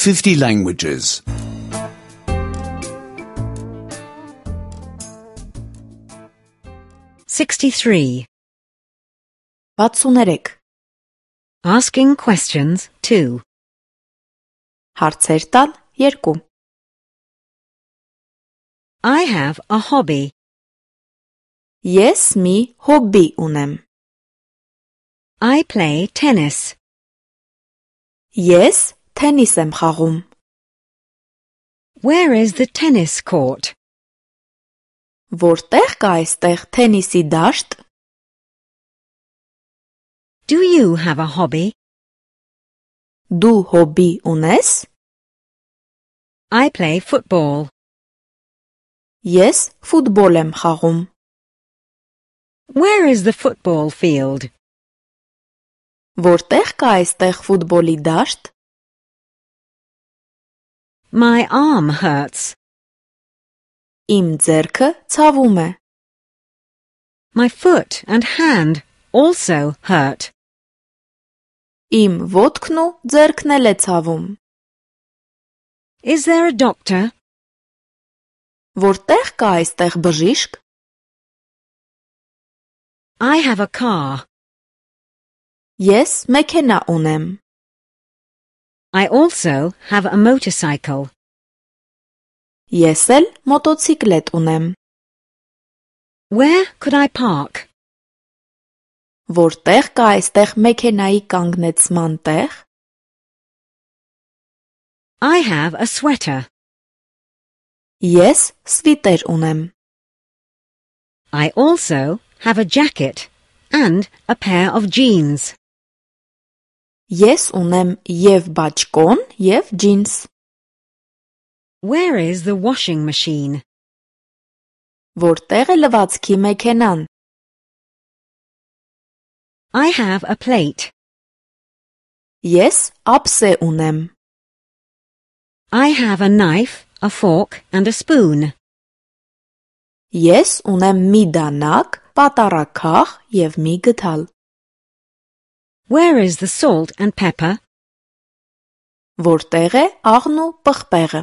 50 languages. 63. 63. Asking questions 2. Հարցեր տալ 2. I have a hobby. Ես մի հոբբի ունեմ. I play tennis. Ես թենիս եմ խաղում. Where is the tennis court? Որտեղ կա այստեղ թենիսի դաշտ? Do you have a hobby? Դու հոբբի ունես? I play football. Ես ֆուտբոլ եմ խաղում. Where is the football field? Որտեղ կա այստեղ ֆուտբոլի դաշտ? My arm hurts. Իմ ձեռքը ցավում է. My foot and hand also hurt. Իմ ոտքն ու ձեռքն էլ է ցավում. Is there a doctor? Որտեղ կա այստեղ բժիշկ? I have a car. Ես մեքենա ունեմ. I also have a motorcycle. Ես էլ մոտոցիկլետ ունեմ. Where could I park? Որտեղ կա այստեղ մեքենայի կանգնեցման տեղ? I have a sweater. Ես սվիտեր ունեմ. I also have a jacket and a pair of jeans. Ես ունեմ և բաճկոն, և ջինս. Where is the washing machine? Որտեղ է լվացքի մեքենան? I have a plate. Ես ափսե ունեմ. I have a knife, a fork and a spoon. Ես ունեմ մի դանակ, պատառաքաղ և մի գդալ. Where is the salt and pepper? Որտեղ է աղն ու պղպեղը?